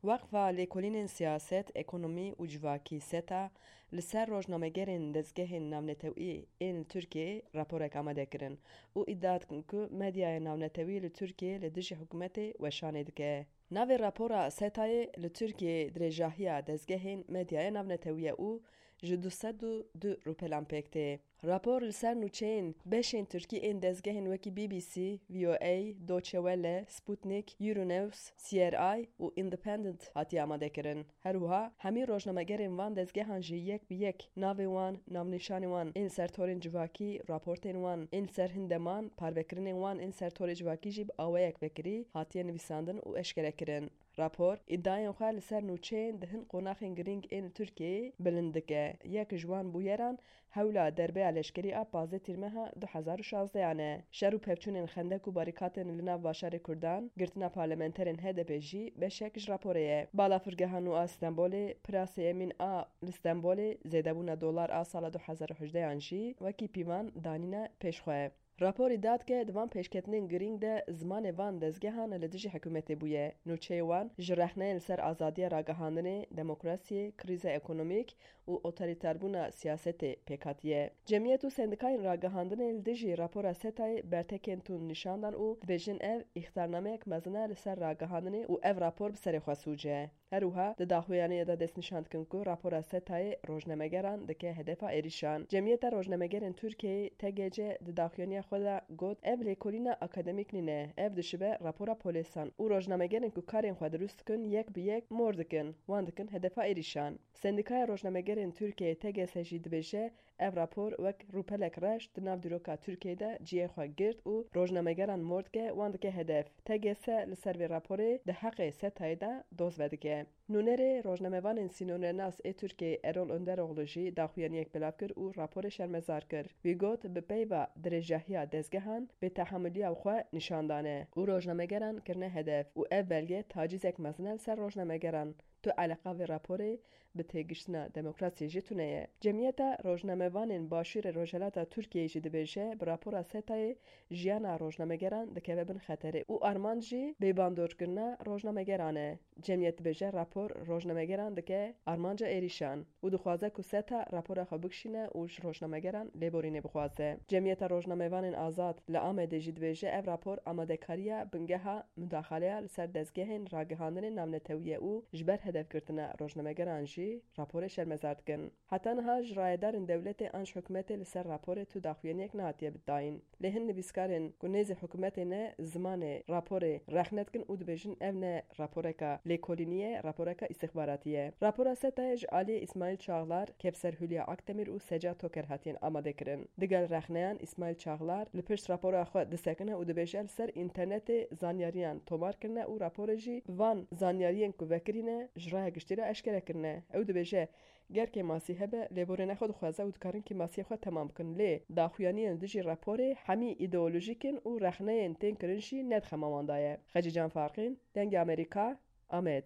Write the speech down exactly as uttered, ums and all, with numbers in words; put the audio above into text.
Weqfa Lêkolînên Siyaset, Ekonomî û Civakî, SETA, li ser rojnamegerên dezgehên navnetewî ên li Tirkiyeyê raporek amade kirin û îdia dikin ku medyaya navnetewî li Tirkiyeyê li dijî hikûmetê weşanê dike. Navê rapora SETAyê li Tirkiyeyê dirêjahiya dezgehên medyaya navnetewî ye û ji du sed û du rûpelan pêk tê. Rapor li ser nûçeyên beşên tirkî ên dezgehên wekî B B C, V O A, Deutsche Welle, Sputnik, Euronews, C R I û Independent hatiye amadekirin. Her wiha hemî rojnamegerên van dezgehan jî yek bi yek navê wan, navnîşanê wan ên ser torên civakî, raportên wan ên ser hin deman, parvekirinên wan ên ser torê civakî jî bi awayek vekirî hatiye nivîsandin û eşkerekirin. Rapor, îdiayên xwe li ser nûçeyên di hin qonaxên girîng ên li Tirkiyeyê bilind dike. Yek ji wan bûyeran hewla derbeya leşkerî a pazdeh Tîrmeha du hezar û şazdehan e. Şer û pevçûnên xendek û barîkatên li nav bajarê Kurdan, girtina parlamenterên H D P jî beşek ji raporê ye. Balafirgeha nû a Stenbolê, Pirasê Emîn a li Stenbolê, zêdebûna dolar a sala du hezar û hejdehan jî wekî pîvan danîne pêşxwe. Raporî da dike di van pêşketinên girîng de zimanê van dezgehan li dijî hikûmetê bûye. Nûçeyê wan ji rexneyên li ser azadiya ragihandinê, demokrasiyê, krîza ekonomîk û otorîterbûna siyasetê pêk hatiye. Cemiyet û sendîkayên ragihandinê li dijî rapora SETAyê bertekên tund nîşan dan û dibêjin ev îxtarnameyek mezin e li ser ragihandinê û ev rapor bi serê xwe sûc e. Her wiha di daxuyaniyê de destnîşan dikin ku rapora SETAyê rojnamegeran dike hedefa êrîşan. Cemiyeta Rojnamegerên Tirkiyeyê, T G C, di daxuyaniya xwe de got, ev lêkolîna akademîk nîne, ev dişibe rapora polêsan û rojnamegerên ku karên xwe dirust dikin yek bi yek mor dikin, wan dikin hedefa êrîşan. Sendîkaya Rojnamegerên Tirkiyeyê, T G S, jî dibêje, ev rapor wek rûpelek reş di nav dîroka Tirkiyeyê de cihê xwe girt û rojnamegeran mor dike, wan dike hedef. T G S li ser vê raporê di heqê SETAyê de doz vedike. Nûnerê rojnamevanên sînornenas ê Tirkiyeyê Erol Önderoğlu jî daxuyaniyek belav kir û raporê şermezar kir. Wî got, bi peyva dirêjahiya dezgehan, bêtehamiliya xwe nîşan dane û rojnamegeran kirine hedef û ev belge tacîzek mezin e li ser rojnamegeran. Tu eleqa vê raporê bi têgiştina demokrasiyê jî tune ye. Cemiyeta Rojnamevanên Başûrê Rojhelata Tirkiyeyê jî dibêje, bi rapora SETAyê jiyana rojnamegeran dikeve bin xeterê û armanc jî bêbandorkirina rojnamegeran e. Cemiyet dibêje, rapor rojnamegeran dike armanca êrîşan û dixwaze ku SETA rapora xwe bikişîne û ji rojnamegeran lêborînê bixwaze. Cemiyeta Rojnamevanên Azad li Amedê jî dibêje, ev rapor amadekariya bingeha mudaxaleya li ser dezgehên ragihandinê navnetewî ye û ji ber hedefgirtina rojnamegeran jî raporê şermezar dikin. Heta niha ji rayedarên dewletê an ji hikûmetê li ser raporê tu daxuyaniyek nehatiye dayîn. Lê hin nivîskarên ku nêzî hikûmetê ne zimanê raporê rexne dikin û dibêjin ev ne raporeka lêkolînî ye, raporeka îstixbaratî ye. Rapora SETAyê ji aliyê Îsmaîl Çağlar, Kevser Hülya Akdemir û Seca Toker hatiye amadekirin. Digel rexneyan Îsmaîl Çağlar li pişt rapora xwe disekine û dibêje li ser înternetê zanyariyan tomar kirine û raporê jî bi van zanyariyên ku vekirî ne ji raya giştî re eşkere kirine. Ew dibêje, ger kêmasî hebe, lêborîna xwe dixwaze û dikarin kêmasiyê xwe temam bikin. Lê daxuyaniyên dijî raporê hemî îdeolojîk in û rexneyên tên kirin jî ne di xema wan de ye. Xecîcan Farqîn, Dengê Amerîka, Amed.